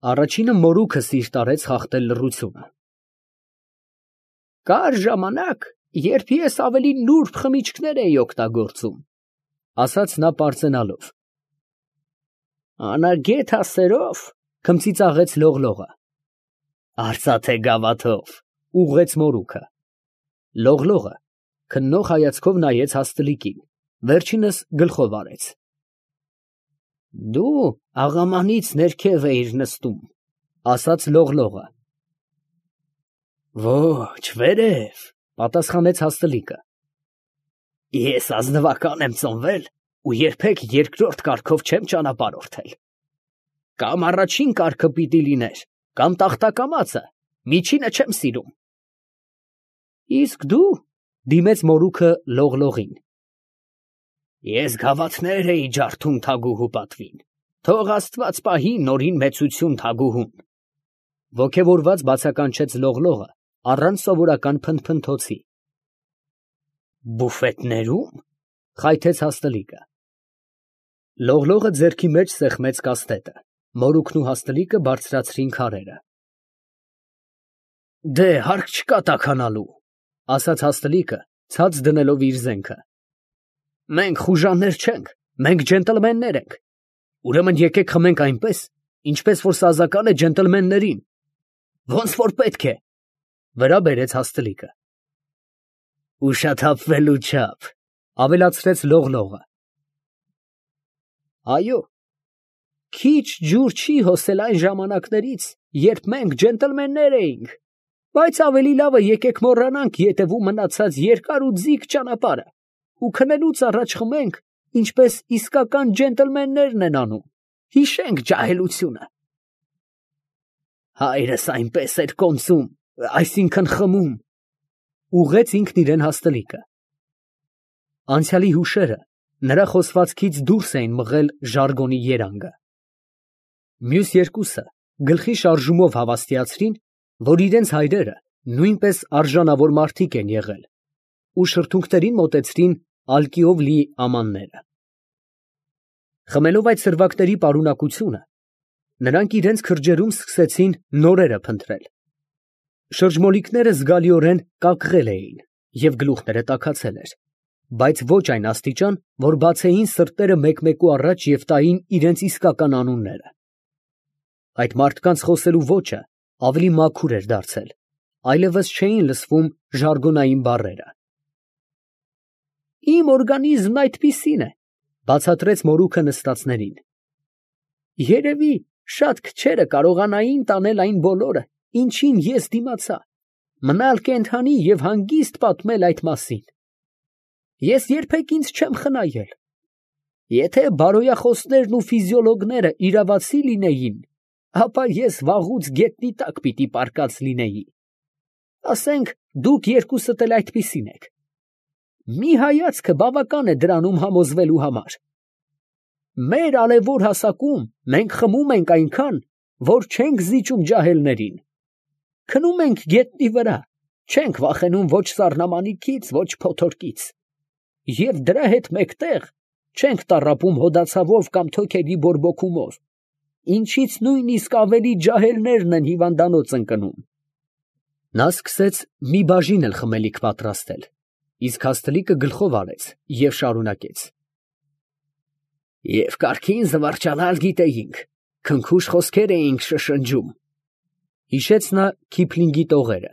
Առաջինը մորուքը սիրտ արեց խախտել լռությունը։ Կար ժամանակ, երբ ես ավելի նուրբ խմիչքներ էի օգտագործում, ասաց նա պարծենալով։ Անագետ հասերով, քմծիծաղեց լողլողը։ Արծաթե գավաթով, ուղղեց մորուքը։ Լողլողը քննող հայացքով նայեց հաստլիկին, վերջինս գլխով արեց։ Դու աղամանից ներքև էիր նստում, ասաց լողլողը։ Ոչ, վերև, պատասխանեց հաստլիկը։ Ես ազնվական եմ ծնվել ու երբեք երկրորդ կարգով չեմ ճանապարհորդել։ Կամ առաջին կարգը պիտի լիներ, կամ տախտակամածը, միջինը չեմ սիրում։ Իսկ դու, դիմեց մորուքը լողլողին։ Ես գավաթներ էի ջարդում թագուհու պատվին, թող Աստված պահի նորին մեծություն թագուհուն։ Ոգևորված բացականչեց լողլողը առանց սովորական փնթփնթոցի։ Բուֆետներում, խայթեց հաստլիկը։ Լողլողը ձեռքի մեջ սեղմեց կաստետը, մորուքն ու հաստլիկը բարձրացրին քարերը։ Դե հարկ չկա տաքանալու, ասաց հաստլիկը, ցած դնելով իր զենքը։ Մենք խուժաններ չենք, մենք ջենտլմեններ ենք։ Ուրեմն եկեք խմենք այնպես, ինչպես որ սազական է ջենտլմեններին։ Ոնց որ պետք է, վրա բերեց հաստլիկը։ Ուշաթափվելու չափ, ավելացրեց լողլողը։ Այո, քիչ ջուր չի հոսել այն ժամանակներից, երբ մենք ջենտլմեններ էինք, բայց ավելի լավը եկեք մոռանանք ետևում մնացած երկար ու ձիգ ճանապարհը ու քնելուց առաջ խմենք, ինչպես իսկական ջենտլմեններն են անում, հիշենք ջահելությունը։ Հայրս այնպես էր կոնծում, այսինքն խմում, ուղղեց ինքն իրեն հաստլիկը։ Անցյալի հուշերը նրա խոսվածքից դուրս էին մղել ժարգոնի երանգը։ Մյուս երկուսը գլխի շարժումով հավաստիացրին, որ իրենց հայրերը նույնպես արժանավոր մարդիկ են եղել, ու շրթունքներին մոտեցրին ալկիով լի ամանները։ Խմելով այդ սրվակների պարունակությունը, նրանք իրենց քրջերում սկսեցին նորերը փնտրել։ Շրջմոլիկները զգալիորեն կակղել էին և գլուխները տաքացել էր, բայց ոչ այն աստիճան, որ բացեին սրտերը մեկմեկու առաջ և տային իրենց իսկական անունները։ Այդ մարդկանց խոսելու ոճը ավելի մաքուր էր դարձել, այլևս չէին լսվում ժարգոնային բառերը։ Իմ օրգանիզմն այդպիսին է, բացատրեց մորուքը նստածներին։ Երևի շատ քչերը կարողանային տանել այն բոլորը, ինչին ես դիմացա, մնալ կենդանի և հանգիստ պատմել այդ մասին։ Ես երբեք ինձ չեմ խնայել։ Եթե բարոյախոսներն ու ֆիզիոլոգները իրավացի լինեին, ապա ես վաղուց գետնի տակ պիտի պառկած լինեի։ Ասենք, դուք երկուսդ էլ այդպիսին եք։ Մի հայացքը բավական է դրանում համոզվելու համար։ Մեր արևոր հասակում մենք խմում ենք այնքան, որ չենք զիջում ջահելներին։ Քնում ենք գետնի վրա, չենք վախենում ոչ սառնամանիքից, ոչ փոթորկից։ Եվ դրա հետ մեկտեղ չենք տառապում հոդացավով կամ թոքերի բորբոքումով, ինչից նույնիսկ ավելի ջահելներն են հիվանդանոց ընկնում։ Նա սկսեց մի բաժին էլ խմելիք պատրաստել, իսկ հաստլիկը գլխով արեց և շարունակեց. Եվ կարգին զվարճանալ գիտեինք, քնքուշ խոսքեր էինք շշնջում, հիշեց նա Քիփլինգի տողերը,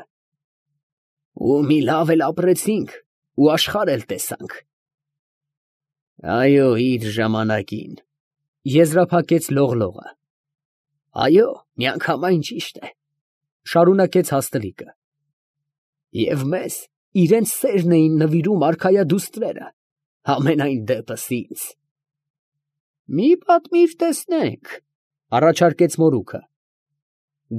ու մի լավ էլ ապրեցինք, ու աշխարհ էլ տեսանք։ Այո, իր ժամանակին, եզրափակեց լողլողը։ Այո, միանգամայն ճիշտ է, շարունակեց հաստլիկը։ Եվ մեզ իրենց սերն էին նվիրում արքայադուստրերը, ամենայն դեպս ինձ։ Մի պատմիր տեսնենք, առաջարկեց մորուքը։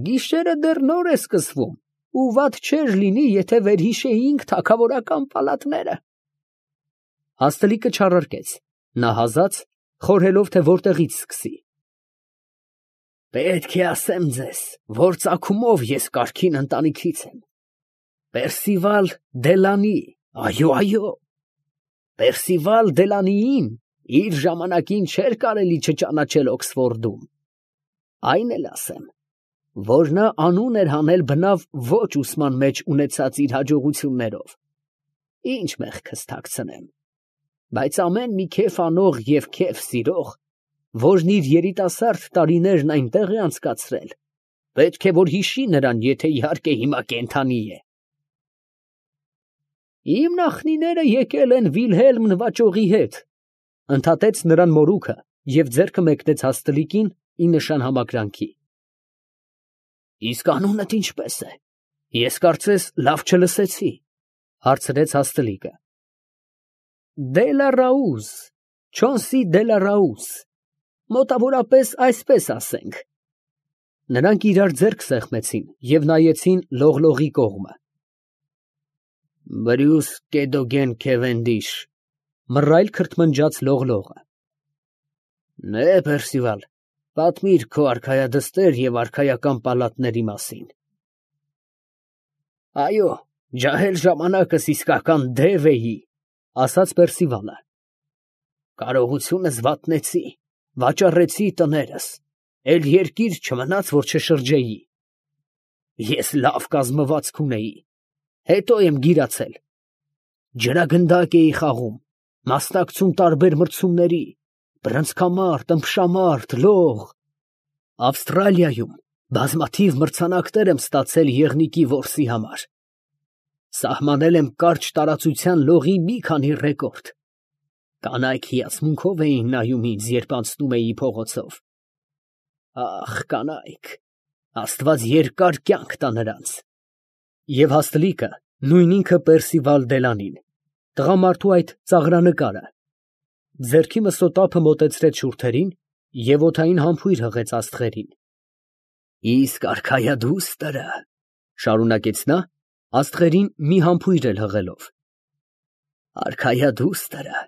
Գիշերը դեռ նոր է սկսվում, ու վատ չէր լինի, եթե վերհիշեինք թագավորական պալատները։ Հաստլիկը չարարկեց, նա հազաց, խորհելով, թե որտեղից սկսի։ Պետք է ասեմ ձեզ, որ ծագումով ես կարգին ընտանիքից եմ։ Պերսիվալ Դելանի, այո, Պերսիվալ Դելանիին իր ժամանակին չէր կարելի չճանաչել Օքսֆորդում։ Այն էլ ասեմ, որ նա անուն էր հանել բնավ ոչ ուսման մեջ ունեցած իր հաջողություններով, ինչ մեղքս թաքցնեմ, բայց ամեն մի քեֆ անող և քեֆ սիրող, որն իր երիտասարդ տարիներն այնտեղ է անցկացրել, պետք է որ հիշի նրան, եթե իհարկե հիմա կենդանի է։ Իմ նախնիները եկել են Վիլհելմ նվաճողի հետ, ընդհատեց նրան մորուքը և ձեռքը մեկնեց հաստլիկին ի նշան համակրանքի։ Իսկ անունդ ինչպես է, ես կարծես լավ չլսեցի, հարցրեց հաստլիկը։ Դելարաուզ, Չոնսի Դելարաուզ, մոտավորապես այսպես ասենք։ Նրանք իրար ձեռք սեղմեցին և նայեցին լողլողի կողմը։ Բրյուս Կեդոգեն Քևենդիշ, մռայլ քրթմնջաց լողլողը։ Նե, Պերսիվալ, պատմիր քո արքայադստեր և արքայական պալատների մասին։ Այո, ջահել ժամանակս իսկական դև էի, ասաց Պերսիվալը։ Կարողությունս վատնեցի, վաճառեցի տներս, էլ երկիր չմնաց, որ չշրջեի։ Ես լավ կազմվածք ունեի, հետո եմ գիրացել։ Ջրագնդակ էի խաղում, մասնակցում տարբեր մրցումների, բռնցքամարտ, ըմբշամարտ, լող։ Ավստրալիայում բազմաթիվ մրցանակներ եմ ստացել եղնիկի որսի համար։ Սահմանել եմ կարճ տարածության լողի մի քանի ռեկորդ։ Կանայք հիացմունքով էին նայում ինձ, երբ անցնում էի փողոցով։ Ախ, կանայք, Աստված երկար կյանք տա նրանց։ Եվ հաստլիկը նույն ինքը Պերսիվալ Դելանին, տղամարդու այդ ծաղրանկարը, ձեռքի մսոտափը մոտեցրեց շուրթերին և օդային համբույր հղեց աստղերին։ Իսկ արքայադուստրը, շարունակեց նա, աստղերին մի համբույր էլ հղելով, արքայադուստրը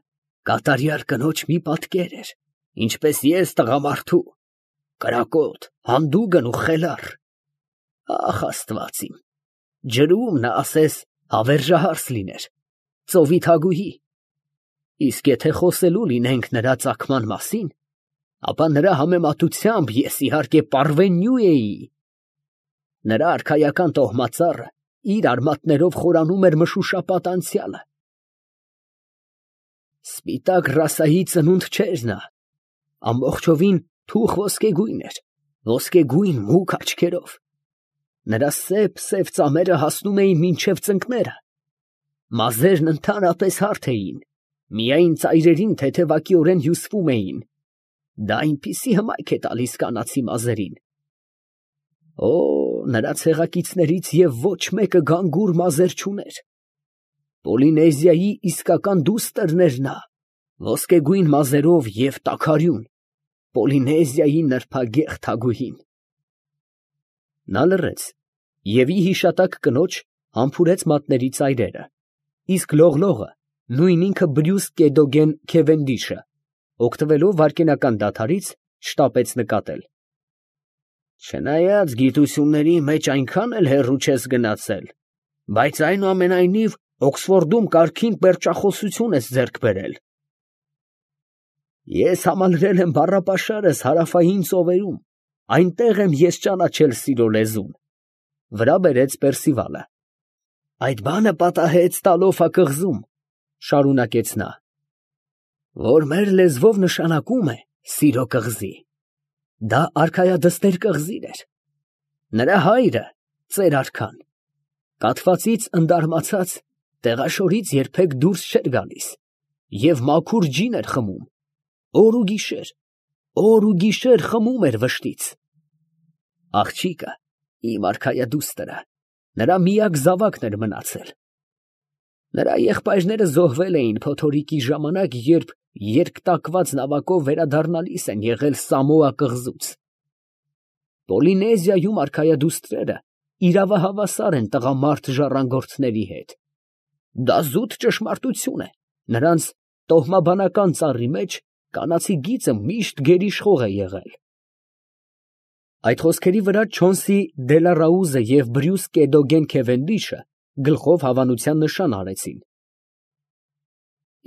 կատարյալ կնոջ մի պատկեր էր, ինչպես ես տղամարդու, կրակոտ, հանդուգն ու խելառ։ Ախ, Աստված իմ, ջրում նա ասես հավերժահարս լիներ, ծովի թագուհի։ Իսկ եթե խոսելու լինենք նրա ծագման մասին, ապա նրա համեմատությամբ ես իհարկե պարվենյու էի։ Նրա արքայական տոհմածառը իր արմատներով խորանում էր մշուշապատ անցյալը։ Սպիտակ ռասայի ծնունդ չէր նա, ամբողջովին թուխ ոսկեգույն էր, ոսկեգույն մուգ աչքերով։ Նրա սև ծամերը հասնում էին մինչև ծնկները, մազերն ընդհանրապես հարթ էին, միայն ծայրերին թեթևակիորեն հյուսվում էին, դա այնպիսի հմայք է տալիս կանացի մազերին։ Օ, նրա ցեղակիցներից և ոչ մեկը գանգուր մազեր չուներ։ Պոլինեզիայի իսկական դուստրն էր նա, ոսկեգույն մազերով և տաքարյուն, Պոլինեզիայի նրբագեղ թագուհին։ Նա լռեց և ի հիշատակ կնոջ համբուրեց մատների ծայրերը, իսկ լողլողը, նույն ինքը Բրյուս Կեդոգեն Քևենդիշը, օգտվելով վայրկենական դադարից, շտապեց նկատել։ Չնայած գիտությունների մեջ այնքան էլ հեռու չես գնացել, բայց այնուամենայնիվ Օքսֆորդում կարգին պերճախոսություն ես ձեռք բերել։ Ես համալրել եմ բառապաշարս հարավային ծովերում, այնտեղ եմ ես ճանաչել սիրո լեզուն, վրա բերեց Պերսիվալը։ Այդ բանը պատահեց Տալոֆա կղզում, շարունակեց նա, որ մեր լեզվով նշանակում է սիրո կղզի։ Դա արքայադստեր կղզին էր։ Նրա հայրը, ծեր արքան, կաթվածից ընդարմացած տեղաշորից երբեք դուրս չէր գալիս և մաքուր ջին էր խմում, օր ու գիշեր խմում էր վշտից։ Աղջիկը, իմ արքայադուստրը, նրա միակ զավակն էր մնացել։ Նրա եղբայրները զոհվել էին փոթորիկի ժամանակ, երբ երկտակված նավակով վերադառնալիս են եղել Սամոա կղզուց։ Պոլինեզիայում արքայադուստրերը իրավահավասար են տղամարդ ժառանգորդների հետ։ Դա զուտ ճշմարտություն է, նրանց տոհմաբանական ծառի մեջ կանացի գիծը միշտ գերիշխող է եղել։ Այդ խոսքերի վրա Չոնսի Դելարաուզը և Բրյուս Կեդոգեն Քևենդիշը գլխով հավանության նշան արեցին։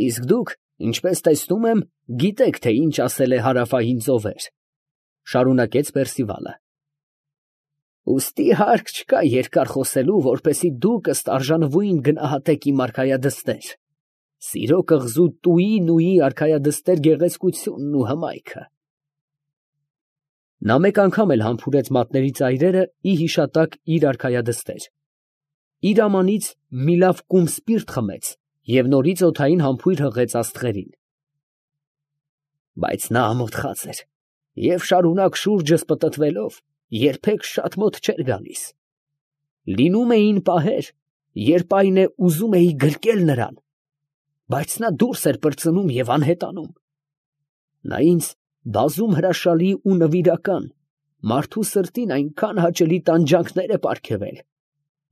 Իսկ դուք, ինչպես տեսնում եմ, գիտեք, թե ինչ ասել է հարավային ծովեր, շարունակեց Պերսիվալը։ Ուստի հարկ չկա երկար խոսելու, որպեսի դուք ըստ արժանվույն գնահատեք իմ արքայադստեր, սիրո կղզու տուի արքայադստեր գեղեցկությունն ու հմայքը։ Նա մեկ անգամ էլ համբուրեց մատների ծայրերը ի հիշատակ իր արքայադստեր, իր ամանից մի լավ կում սպիրտ խմեց և նորից օդային համբույր հղեց աստղերին։ Բայց նա ամոթխած էր և շարունակ շուրջս պտտվելով երբեք շատ մոտ չէր գալիս։ Լինում էին պահեր, երբ այն է ուզում էի գրկել նրան, բայց նա դուրս էր պրծնում և անհետանում։ Նա ինձ բազում հրաշալի ու նվիրական, մարդու սրտին այնքան հաճելի տանջանքներ է պարգևել,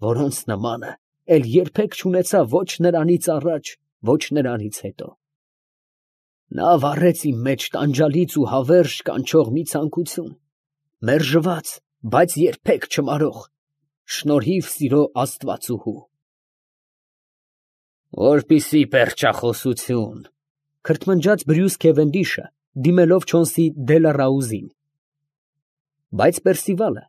որոնց նմանը էլ երբեք չունեցա ոչ նրանից առաջ, ոչ նրանից հետո։ Նա վառեց իմ մեջ տանջալից ու հավերժ կանչող մի ցանկություն, մերժված, բայց երբեք չմարող, շնորհիվ սիրո աստվածուհու։ Որպիսի պերճախոսություն, քրթմնջաց Բրյուս Քևենդիշը, դիմելով Չոնսի Դելառաուզին։ Բայց Պերսիվալը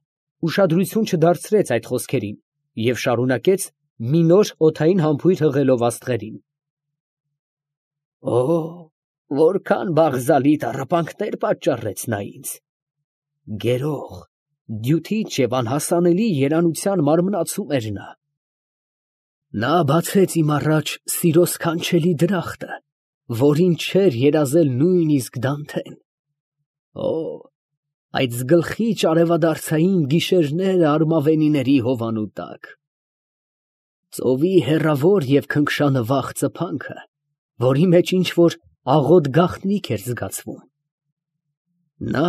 ուշադրություն չդարձրեց այդ խոսքերին և շարունակեց մի նոր օդային համբույր հղելով աստղերին։ Օ, որքան բաղզալի տառապանքներ պատճառեց նա ինձ, գերող, դյութիչ և անհասանելի երանության մարմնացում էր նա։ Նա բացեց իմ առաջ սիրո սքանչելի դրախտը, որին չէր երազել նույնիսկ Դանթեն։ Օ, այդ զգլխիչ արևադարձային գիշերները արմավենիների հովանու տակ, ծովի հեռավոր և քնքշանվախ ծփանքը, որի մեջ ինչ֊որ աղոտ գաղտնիք էր զգացվում։ Նա,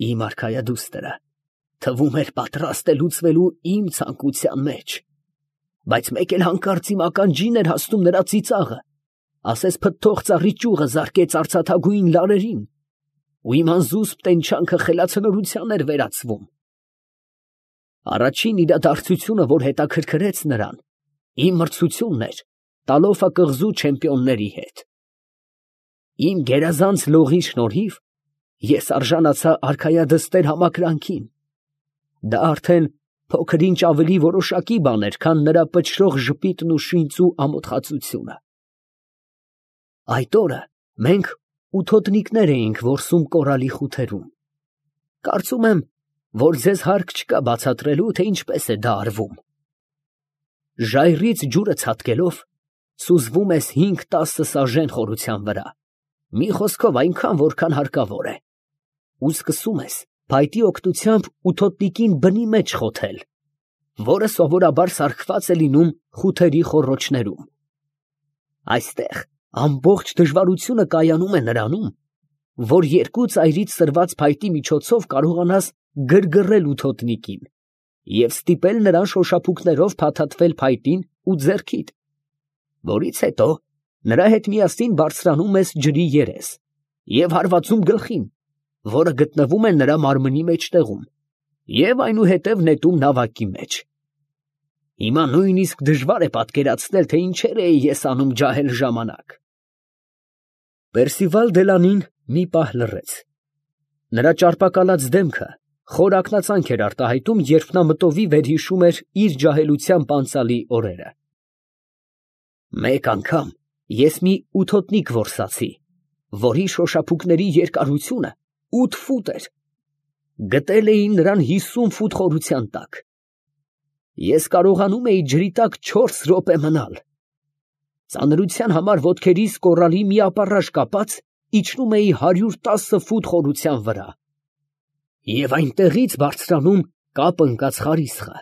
իմ արքայադուստրը, թվում էր պատրաստ է լուծվելու իմ ցանկության մեջ, բայց մեկ էլ հանկարծ իմ ականջին էր հասնում նրա ծիծաղը, ասես փթթող ծառի ճյուղը զարկեց արծաթագույն լարերին, ու իմ անզուսպ տենչանքը խելացնորության էր վերածվում։ Առաջին իրադարձությունը, որ հետաքրքրեց նրան, իմ մրցությունն էր Տալոֆա կղզու չեմպիոնների հետ։ Իմ գերազանց լողի շնորհիվ ես արժանացա արքայադստեր համակրանքին։ Դա արդեն փոքր-ինչ ավելի որոշակի բան էր, քան նրա պչրող ժպիտն ու շինծու ամոթխածությունը։ Այդ օրը մենք ութոտնիկներ էինք որսում կորալի խութերում։ Կարծում եմ, որ ձեզ հարկ չկա բացատրելու, թե ինչպես է դա արվում։ Ժայռից ջուրը ցատկելով, սուզվում ես 5-10 սաժեն խորության վրա, մի խոսքով այնքան, որքան հարկավոր է, ու սկսում ես փայտի օգնությամբ ութոտնիկին բնի մեջ խոթել, որը սովորաբար սարքված է լինում խութերի խոռոչներում։ Այստեղ ամբողջ դժվարությունը կայանում է նրանում, որ երկու ծայրից սրված փայտի միջոցով կարողանաս գրգռել ութոտնիկին և ստիպել նրան շոշափուկներով փաթաթվել փայտին ու ձեռքիդ, որից հետո նրա հետ միասին բարձրանում ես ջրի երես և հարվածում գլխին, որը գտնվում է նրա մարմնի մեջտեղում, և այնուհետև նետում նավակի մեջ։ Հիմա նույնիսկ դժվար է պատկերացնել, թե ինչեր էի ես անում ջահել ժամանակ։ Պերսիվալ Դելանին մի պահ լռեց։ Նրա ճարպակալած դեմքը խոր ակնածանք էր արտահայտում, երբ նա մտովի վերհիշում էր իր ջահելությամբ անցյալի օրերը։ Մեկ անգամ ես մի ութոտնիկ որսացի, որի շոշափուկների երկարությունը 8 ֆուտ էր։ Գտել էին նրան 50 ֆուտ խորության տակ։ Ես կարողանում էի ջրի տակ 4 րոպե մնալ։ Ծանրության համար ոտքերիս կորալի մի ապառաշ կապած իջնում էի 110 ֆուտ խորության վրա և այնտեղից բարձրանում կապ ընկած խարիսխը։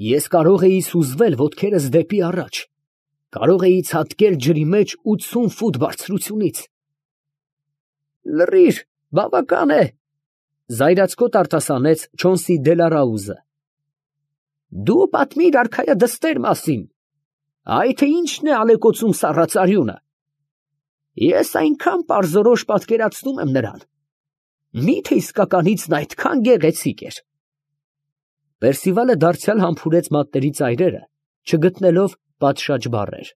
Ես կարող էի սուզվել ոտքերս դեպի առաջ, կարող էի ցատկել ջրի մեջ 80 ֆուտ բարձրությունից։ Լռիր, բավական է, զայրացկոտ արտասանեց Չոնսի Դելառաուզը։ Դու պատմիր արքայադստեր մասին, այ թե ինչն է ալեկոծում սառածարյունը։ Ես այնքան պարզորոշ պատկերացնում եմ նրան, մի՞թե իսկականից նա այդքան գեղեցիկ էր։ Պերսիվալը դարձյալ համբուրեց մատների ծայրերը, չգտնելով պատշաճ բառեր։